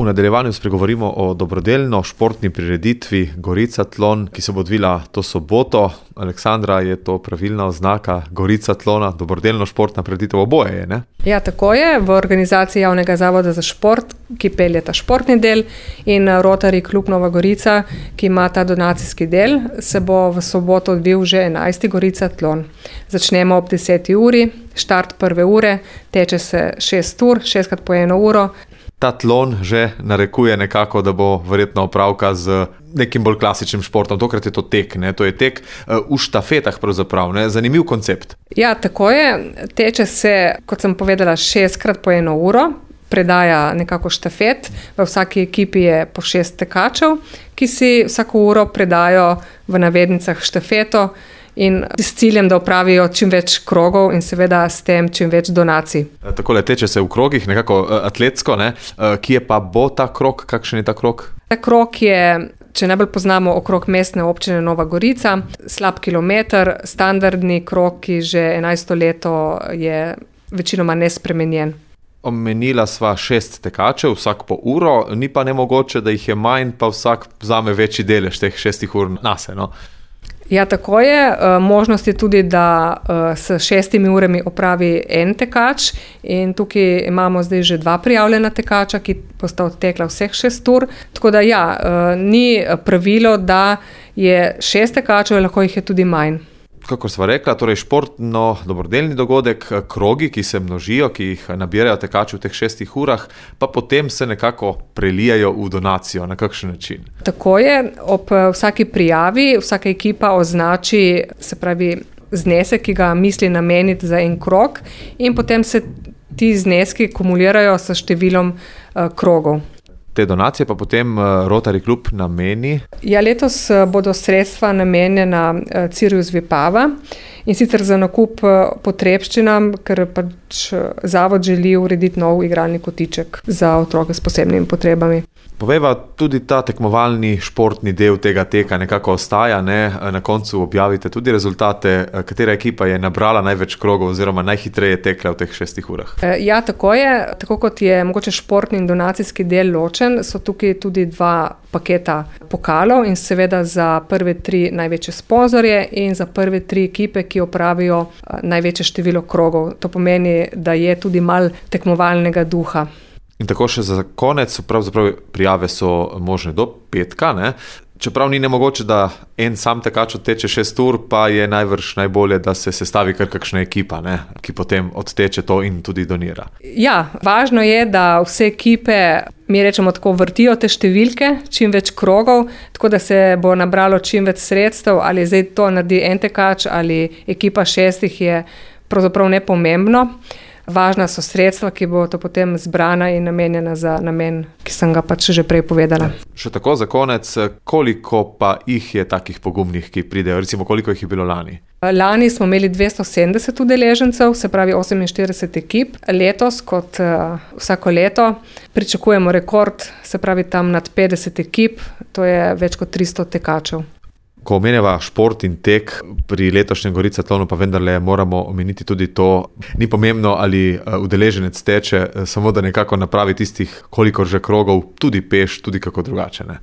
V nadaljevanju spregovorimo o dobrodelno športni prireditvi Goricatlon, ki se bo odvila to soboto. Aleksandra, je to pravilna oznaka Goricatlona, dobrodelno športna prireditev, oboje je, ne? Ja, tako je. V organizaciji Javnega zavoda za šport, ki pelje ta športni del, in Rotary klub Nova Gorica, ki ima ta donacijski del, se bo v soboto odvil že 11. Goricatlon. Začnemo ob 10. uri, štart 1. ure, teče se 6 ur, 6x po 1 uro. Ta tlon že narekuje nekako, da bo verjetno opravka z nekim bolj klasičnim športom. Tokrat je to tek, ne? To je tek v štafetah pravzaprav, ne? Zanimiv koncept. Ja, tako je. Teče se, kot sem povedala, 6x po 1 uro. Predaja nekako štafet. V vsaki ekipi je po 6 tekačev, ki si vsako uro predajo v navednicah štafeto in s ciljem, da opravijo čim več krogov in seveda s tem čim več donacij. Takole teče se v krogih, nekako atletsko, ne? Kje pa bo ta krog? Kakšen je ta krog? Ta krog je, če najbolj poznamo, okrog mestne občine Nova Gorica, slab kilometer, standardni krog, ki že 11. leto je večinoma nespremenjen. Omenila sva 6 tekačev, vsak po uro, ni pa nemogoče, da jih je manj, pa vsak vzame večji delež teh 6 ur nase, no? Ja, tako je. Možnost je tudi, da s 6 urami opravi en tekač in tukaj imamo zdaj že 2 prijavljena tekača, ki bosta odtekla vseh 6 ur. Tako da ja, ni pravilo, da je 6 tekačev, lahko jih je tudi manj. Kakor sva rekla, torej športno dobrodelni dogodek, krogi, ki se množijo, ki jih nabirajo tekači v teh 6 urah, pa potem se nekako prelijajo v donacijo. Na kakšen način? Tako je. Ob vsaki prijavi vsaka ekipa označi, se pravi, znesek, ki ga misli nameniti za en krog, in potem se ti zneski kumulirajo s številom krogov. Te donacije pa potem Rotary klub nameni? Ja, letos bodo sredstva namenjena Cirius Vipava, in sicer za nakup potrebščinam, ker pač zavod želi urediti nov igralni kotiček za otroke s posebnimi potrebami. Povejva, tudi ta tekmovalni športni del tega teka nekako ostaja, ne? Na koncu objavite tudi rezultate, katera ekipa je nabrala največ krogov oziroma najhitreje tekla v teh 6 urah. Ja, tako je. Tako kot je mogoče športni in donacijski del ločen, so tukaj tudi 2 paketa pokalov in seveda za prve 3 največje sponzorje in za prve 3 ekipe, ki opravijo največje število krogov. To pomeni, da je tudi malo tekmovalnega duha. In tako še za konec, pravzaprav prijave so možne do petka, ne? Čeprav ni nemogoče, da en sam tekač odteče 6 ur, pa je najbrž najbolje, da se sestavi kar kakšna ekipa, ne? Ki potem odteče to in tudi donira. Ja, važno je, da vse ekipe, mi rečemo tako, vrtijo te številke, čim več krogov, tako da se bo nabralo čim več sredstev, ali zdaj to naredi en tekač ali ekipa 6, je pravzaprav nepomembno. Važna so sredstva, ki bo to potem zbrana in namenjena za namen, ki sem ga pač že prej povedala. Še tako za konec, koliko pa jih je takih pogumnih, ki pridejo? Recimo, koliko jih je bilo lani? Lani smo imeli 270 udeležencev, se pravi 48 ekip. Letos, kot vsako leto, pričakujemo rekord, se pravi tam nad 50 ekip, to je več kot 300 tekačev. Ko omenjava šport in tek, pri letošnjem Goricatlonu pa vendarle moramo omeniti tudi to, ni pomembno, ali udeleženec teče, samo da nekako napravi tistih, kolikor že krogov, tudi peš, tudi kako drugače, ne?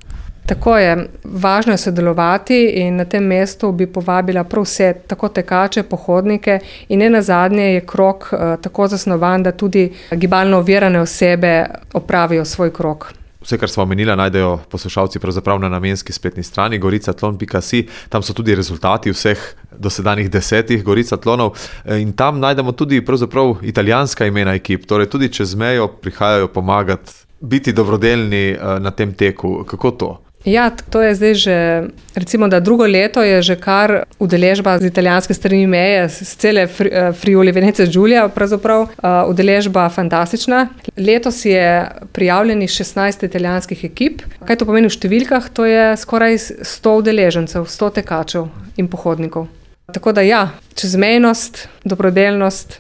Tako je. Važno je sodelovati in na tem mestu bi povabila prav vse, tako tekače, pohodnike, in nenazadnje je krog tako zasnovan, da tudi gibalno ovirane osebe opravijo svoj krog. Vse, kar smo omenila, najdejo poslušalci pravzaprav na namenski spletni strani goricatlon.si. Tam so tudi rezultati vseh dosedanjih 10 Goricatlonov in tam najdemo tudi pravzaprav italijanska imena ekip. Torej tudi čez mejo prihajajo pomagati, biti dobrodelni na tem teku. Kako to? Ja, to je zdaj že, recimo, da 2. leto je že kar udeležba z italijanske strani meje, z cele Friuli Venezia Giulia, pravzaprav udeležba fantastična. Letos je prijavljenih 16 italijanskih ekip. Kaj to pomeni v številkah? To je skoraj 100 udeležencev, 100 tekačev in pohodnikov. Tako da ja, čezmejnost, dobrodelnost.